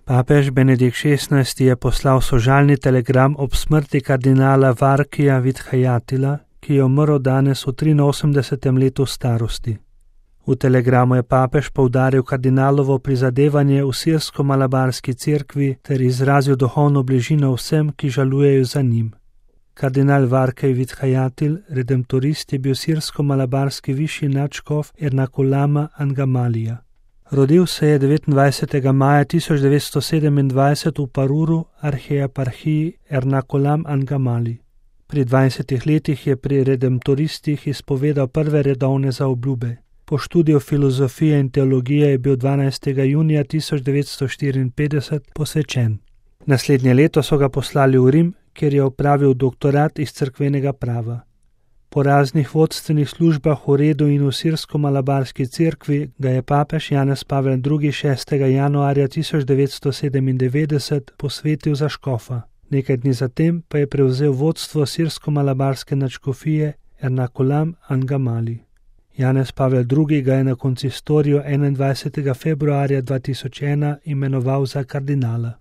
Papež Benedikt XVI je poslal sožalni telegram ob smrti kardinala Varkija Vidhajatila, ki je umrl danes v 83. letu starosti. V telegramu je papež poudaril kardinalovo prizadevanje v sirsko-malabarski cerkvi ter izrazil duhovno bližino vsem, ki žalujejo za njim. Kardinal Varkij Vidhajatil, redemptorist, je bil sirsko-malabarski višji nadškof Ernakulama Angamalija. Rodil se je 29. maja 1927 v Paruru, arhieparhiji Ernakulam Angamali. Pri 20 letih je pri redemptoristih izpovedal prve redovne zaobljube. Po študiju filozofije in teologije je bil 12. junija 1954 posvečen. Naslednje leto so ga poslali v Rim, kjer je opravil doktorat iz cerkvenega prava. Po raznih vodstvenih službah v redu in v sirsko-malabarski cerkvi ga je papež Janez Pavel II. 6. januarja 1997 posvetil za škofa. Nekaj dni zatem pa je prevzel vodstvo sirsko-malabarske nadškofije Ernakulam Angamali. Janez Pavel II. Ga je na konsistoriju 21. februarja 2001 imenoval za kardinala.